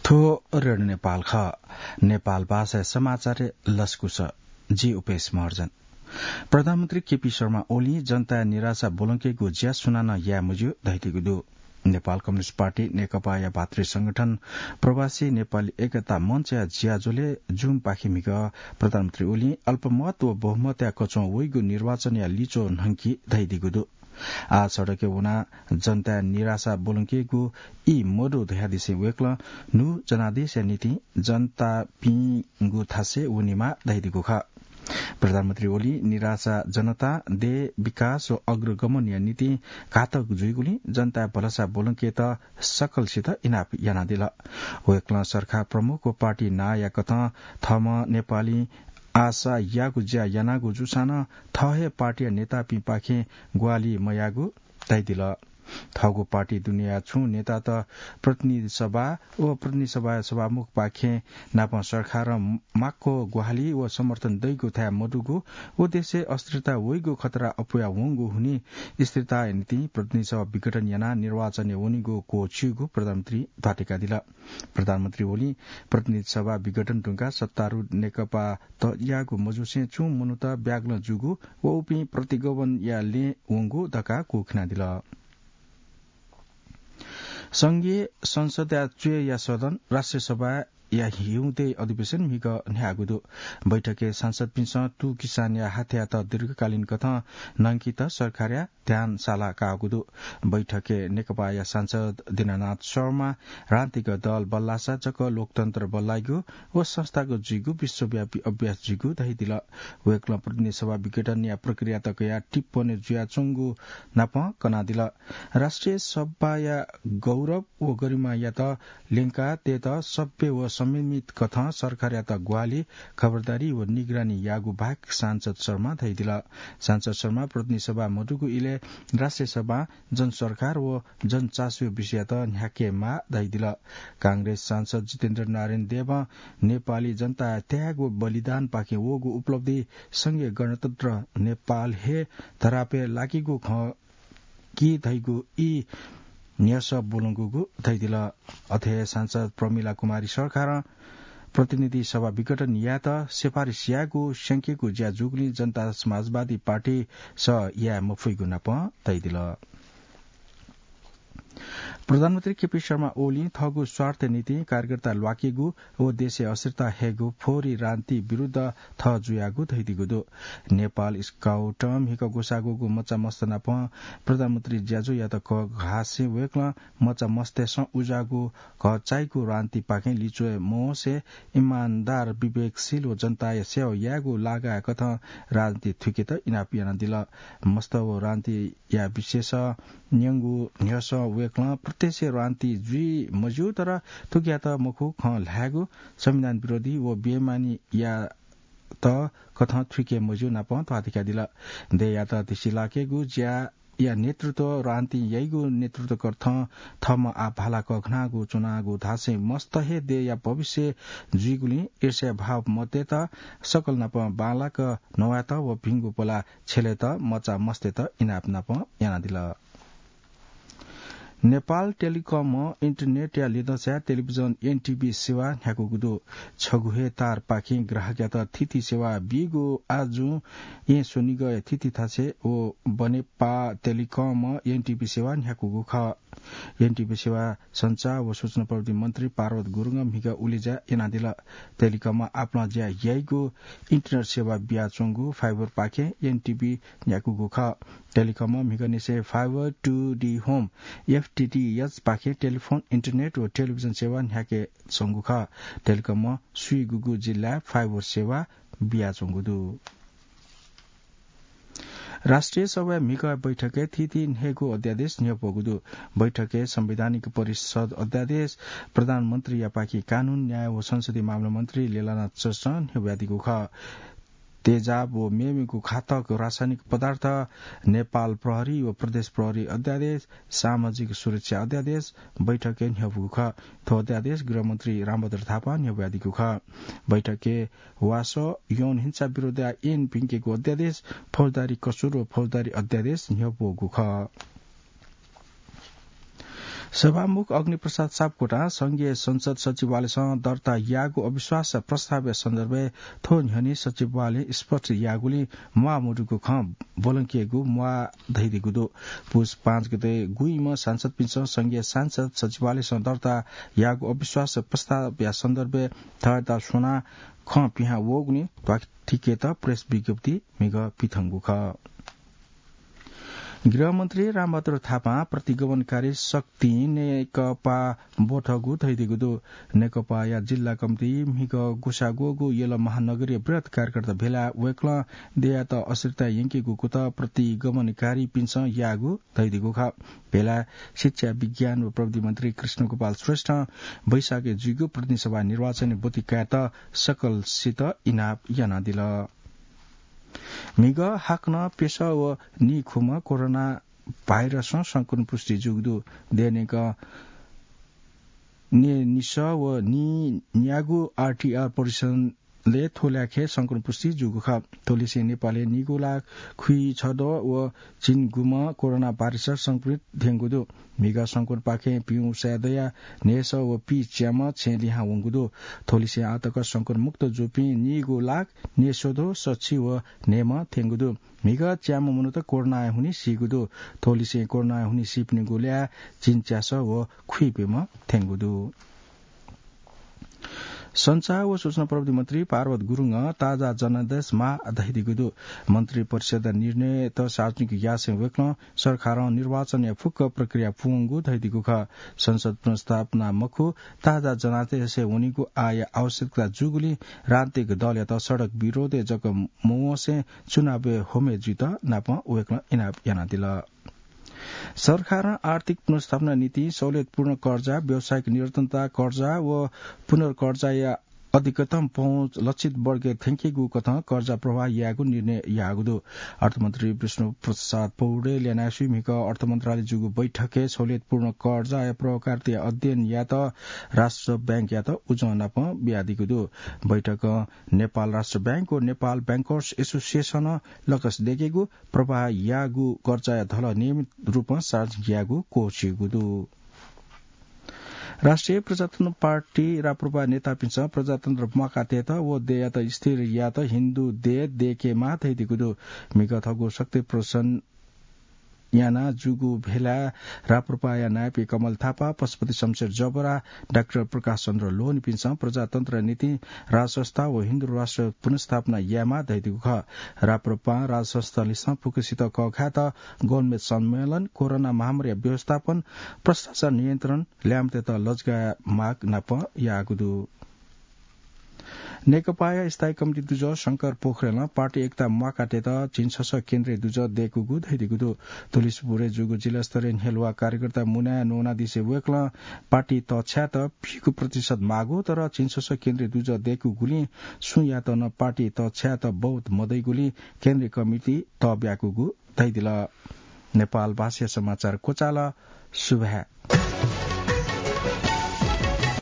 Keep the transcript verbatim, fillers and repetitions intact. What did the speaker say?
थ्व रेडियो नेपाल खः। नेपाल भाषाया समाचार लसकुस। जि उपेश महर्जन। प्रधानमन्त्री केपी शर्मा ओलीं जनताया निराशा ब्वलंकेगु ज्या सुनानं याये मज्यू धयादीगु दु। नेपाल कम्युनिस्ट पार्टी नेकपाया भातृ संगठन प्रवासी नेपाली एकता मञ्चया ज्याझ्वलय् Zoom पाखे म्हिगः प्रधानमन्त्री ओलीं अल्पमत व बहुमतया कच्वं वइगु निर्वाचनया लिच्वः न्हंकी धयादीगु दु। आः सडकय् वनाः जनताया निराशा ब्वलंकेगु ई मदु धयादिसें वय्कलं न्हू जनादेशया निंतिं जनतापिंगु थासय् वनेमाः धयादीगु खः। प्रधानमन्त्री ओलीं निराशा जनता देय् विकास व अग्रगमनया निंतिं घातक जुइगुलिं जनताया भलसा ब्वलंकेत सकलसित इनाप यानादिल। वय्कलं सरकार प्रमुख व पार्टी नांया कथं थःम्हं नेपालीं आशा याःगु ज्या यानागु जूसां नं थः हे पार्टीया नेतापिंपाखें ग्वाहालि मयाःगु धयादिल। थःगु पार्टी दुनेया छुं नेतात प्रतिनिधि सभा व प्रतिनिधि सभाया सभामुखपाखें नापं सरकारं माक्व ग्वाहालि व समर्थन दइगु थाय् मदुगु व देशय् अस्थिरता वइगु खतरा अप्वया वंगु हुनिं स्थिरताया निंतिं प्रतिनिधि सभा विघटन यानाः निर्वाचनय् वनेगु क्वःछिउगु प्रधानमन्त्री ध्वाथय्कादिल। प्रधानमन्त्री ओलीं प्रतिनिधि सभा विघटन धुंकाः सत्तारूढ नेकपा तयागु मजुसें छुं मनूत ब्यागलं जूगु व उपिं प्रतिगमनया लँय् वंगु धकाः क्वःखिनादिल। संघीय संसदया च्वय्या सदन राष्ट्रिय सभाया हिउँदे अधिवेशन म्हिगः न्ह्याःगु दु। बैठकय् सांसदपिन्सं तू किसानया हाथ्यात दीर्घकालीन कथं न्हंकेत सरकारया ध्यान साला काःगु दु। बैठकय् नेकपाया सांसद दीनानाथ शर्मा राजनीतिक दल बल्लासा जक लोकतन्त्र बल्लाइगु व संस्थागत जुइगु विश्वव्यापी अभ्यास जुइगु धयादिल। वय्कलं प्रतिनिधि सभा विघटनया प्रक्रियात कयाः टिप्पणी जुयाच्वंगु नापं कनादिल। राष्ट्रिय सभाया गौरव व गरिमायात ल्यंकाः तयेत सभ्य व संयमित कथं सरकारयात ग्वाहालि, खबरदारी व निगरानी याःगु बाहेक सांसद शर्मा धयादिल। सांसद शर्मा प्रतिनिधि सभा मदुगु इलय् राष्ट्रिय सभां जनसरकार व जनचासोया विषययात न्ह्याकेमाः धयादिल। कांग्रेस सांसद जितेन्द्र नारायण देवं नेपाली जनताया त्याग व बलिदानपाखें वःगु उपलब्धि संघीय गणतन्त्र नेपाल हे धरापय् लाकीगु खः कि धइगु ई न्ह्यसः ब्वलंकूगु धयादिल। अथे हे सांसद प्रमिला कुमारी सरकारं प्रतिनिधि सभा विघटन यायेत सिफारिस यायेगु स्यंकेगु ज्या जूगुलिं जनता समाजवादी पार्टीसं याये मफइगु नापं धयादिल। प्रधानमन्त्री केपी शर्मा ओलीं थःगु स्वार्थया निंतिं कार्यकर्ता ल्वाकेगु व देशय् अस्थिरता हयेगु फोहोरी राजनीति विरुद्ध थः जुयागु धयादीगु दु। नेपाल स्काउटं म्हिगः ग्वसाःगु मचा मस्त नाप प्रधानमन्त्री ज्याझ्वःयात कःघासें वय्कलं मचा मस्तय्सं उज्याःगु घःचाइगु राजनीतिपाखें लिच्वये मवंसे इमानदार, विवेकशील व जनताया सेवा यायेगु लागाया कथं राजनीति थुइकेत इनाप यानादिल। मस्त व राजनीतिया विषयसं न्यंगु न्ह्यसः वय्कलं प्रत्यक्ष राजनीति जुइ मज्यू, तर थुकियात मखु खँ ल्हायेगु, संविधान विरोधी व बेमानीयात कथं थुइके मज्यू नापं ध्वाथय्कादिल। देय्‌यात तिसिलाकेगु ज्याया नेतृत्व राजनीतिं याइगु नेतृत्वकथं थःम्हं आः भाला कःघानागु च्वनागु धासें मस्त हे देय्‌या भविष्य जुइगुलिं ईर्ष्या भाव मतयेत सकल नाप बांलाक नवायेत व भिंगु पला छ्यलेत मचा मस्तय्त इनाप नाप यानादिल। नेपाल टेलिकमं इन्टरनेटया लिधंसाय् टेलिभिजन एनटिभी सेवा न्ह्याकूगु दु। छगू हे तारपाखें ग्राहकयात थीथी सेवा बीगु आजुं येँ स्वनिगःया थीथी थासय् व बनेपा टेलिकमं एनटिभी सेवा न्ह्याकूगु खः। एनटिभी सेवा सञ्चार व सूचना प्रविधि मन्त्री पार्वत गुरुङं म्हिगः उलेज्या यानादिल। टेलिकमं आपालं ज्या याइगु इन्टरनेट सेवा बियाच्वंगु फाइबरपाखें एनटिभी न्ह्याकूगु खः। टेलिकमं म्हिगःनिसें Fiber to the Home, एफटिटिएच, पाखें टेलिफोन, इन्टरनेट व टेलिभिजन सेवा न्ह्याकेच्वंगु खः। टेलिकमं स्वीगुगु जिल्लाय् फाइबर सेवा बियाच्वंगु दु। राष्ट्रिय सभाया म्हिगः बैठकय् थीथी न्हय्गू अध्यादेश न्ह्यब्वःगु दु। बैठकय् संवैधानिक परिषद अध्यादेश, प्रधानमन्त्रीयापाखें कानून, न्याय व संसदीय मामला मन्त्री लेलानाथ श्रेष्ठं न्ह्यब्वयादीगु खः। तेजाब व मेमेगु घातक रासायनिक पदार्थ, नेपाल प्रहरी व प्रदेश प्रहरी अध्यादेश, सामाजिक सुरक्षा अध्यादेश बैठकय् न्ह्यब्वःगु खः। थ्व अध्यादेश गृहमन्त्री रामभद्र थापां न्ह्यब्वयादीगु खः। बैठकय् वासः, यौन हिंसा विरोधया ऐन प्यंकेगु अध्यादेश, फौजदारी कसुर व फौजदारी अध्यादेश न्ह्यब्वःगु खः। सभामुख अग्निप्रसाद सापकोटां संघीय संसद सचिवालयसं दर्ता याःगु अविश्वास प्रस्तावया सन्दर्भय् थ्व न्ह्यःने सचिवालयं स्पष्ट याःगुलिं म्वाः मदुगु खँ ब्वलंकेगु म्वाः धयादीगु दु। पुस पाँच गते गुइम्ह सांसदपिन्सं संघीय संसद सचिवालयसं दर्ता याःगु अविश्वास प्रस्तावया सन्दर्भय् थःत स्वनाः खँ पिहां वःगुलिं ध्वाथुइकेत प्रेस विज्ञप्ति म्हिगः पिथंगु खः। गृहमन्त्री रामबहादुर थापां प्रतिगमनकारी शक्तिं नेकपा ब्वथःगु धयादीगु दु। नेकपाया जिल्ला कमिटी म्हिगः गुसाग्वःगु यल महानगरीय बृहत् कार्यकर्ता भेलाय् वय्कलं देय्‌यात अस्थिरता यंकेगु कुतः प्रतिगमनकारीपिन्सं याःगु धयादीगु खः। भेलाय् शिक्षा, विज्ञान व प्रविधि मन्त्री कृष्णगोपाल श्रेष्ठं वैशाखय् जुइगु प्रतिनिधि सभा निर्वाचनय् ब्वति कायेत सकलसित इनाप यानादिल। म्हिगः हाकनं प्यसः व नीखुम्ह कोरोना भाइरसं संक्रमण पुष्टि जूगु दु। देय्‌न्यंक नीनिसः व नीन्यागू आरटीआर परीक्षणय् थ्व ल्याखय् संक्रमण पुष्टि जूगु खः। थ्वलिसें नेपालय् नीगू लाख खुइछदँ व झिंगुम्ह कोरोना भाइरसं संक्रमित थ्यंगु दु। म्हिगः संक्रमणपाखें पिउँ साय् दयाः न्हय्‌सः व पीच्याम्ह छेँय् लिहां वंगु दु। थ्वलिसें आः तक संक्रमण मुक्त जूपिं नीगू लाख न्हय्‌सः व सछि व न्हय्‌म्ह थ्यंगु दु। म्हिगः च्याम्ह मनूत कोरोनाया हुनिं सीगु दु। थ्वलिसें कोरोनाया हुनिं सीपिनिगु ल्याः झिंच्यासः व खुइप्यम्ह थ्यंगु दु। सञ्चार व सूचना प्रविधि मन्त्री पार्वत गुरुङं ताजा जनादेश माः धयादीगु दु। मन्त्री परिषदया निर्णयत सार्वजनिक यासें वय्कलं सरकारं निर्वाचनया फुक्क प्रक्रिया पूवंगु धयादीगु खः। संसद पुनर्स्थापना मखु, ताजा जनादेशय् वनीगु आःया आवश्यकता जूगुलिं राजनीतिक दलयात सडक विरोधय् जक मवंसें चुनावय् होमे जुइत नापं वय्कलं इनाप यानादिल। सरकारं आर्थिक पुनर्स्थापना निंतिं सहुलियतपूर्ण कर्जा, व्यावसायिक निरन्तरता कर्जा व पुनर्कर्जाया अधिकतम पहुँच लक्षित वर्गय् थ्यंकेगु कथं कर्जा प्रवाह यायेगु निर्णय याःगु दु। अर्थमन्त्री विष्णु प्रसाद पौडेलया न्ह्यासुइ म्हिगः अर्थ मन्त्रालय जूगु बैठकय् सहुलियतपूर्ण कर्जाया प्रभावकारिताया अध्ययन यायेत राष्ट्र बैंकयात उजं नापं बियादीगु दु। बैठकं नेपाल राष्ट्र बैंक व नेपाल बैंकर्स एसोसिएसनं लकस दयेकेगु प्रवाह याःगु कर्जाया धलः नियमित रूपं सार्वजनिक यायेगु क्वःछिइगु दु। राष्ट्रिय प्रजातन्त्र पार्टी राप्रपा नेतापिन्सं प्रजातन्त्र म्वाकातयेत व देय्‌यात स्थिर यायेत हिन्दू देय् दयेकेमाः धयादीगु दु। म्हिगः थःगु शक्ति प्रदर्शन याना जूगु भेलाय् राप्रपाया नायःपिं कमल थापा, पशुपति शमशेर जबरा, डाक्टर प्रकाश चन्द्र लोहनीपिन्सं प्रजातन्त्रया निंतिं राजसंस्था व हिन्दू राष्ट्र पुनर्स्थापना यायेमाः धयादीगु खः। राप्रपां राजसंस्थालिसं फुक्कसित कःघायेत गोलमेज सम्मेलन, कोरोना महामारीया व्यवस्थापन, भ्रष्टाचार नियन्त्रण, ल्याय्म्हतय्त लजगाः माग नापं याःगु दु। नेकपाया स्थायी कमिटी दुजः शंकर पोखरेलं पार्टी एकता म्वाकातय्त झिंछसः केन्द्रीय दुजः दय्कूगु धयादीगु दु। तुलिसपुरय् जूगु जिल्लास्तरीय न्ह्यलुवा कार्यकर्ता मुनाय् न्वनादिसे वय्कलं पार्टी तःछायेत फीगु प्रतिशत माःगु, तर झिंछसः केन्द्रीय दुजः दय्कूगुलिं सुयातं नं पार्टी तःछायेत बहुमत मदइगुलिं केन्द्रीय कमिटी तःब्याकूगु धयादिल। नेपाल भाषाया समाचार क्वचाल। सुभाय्।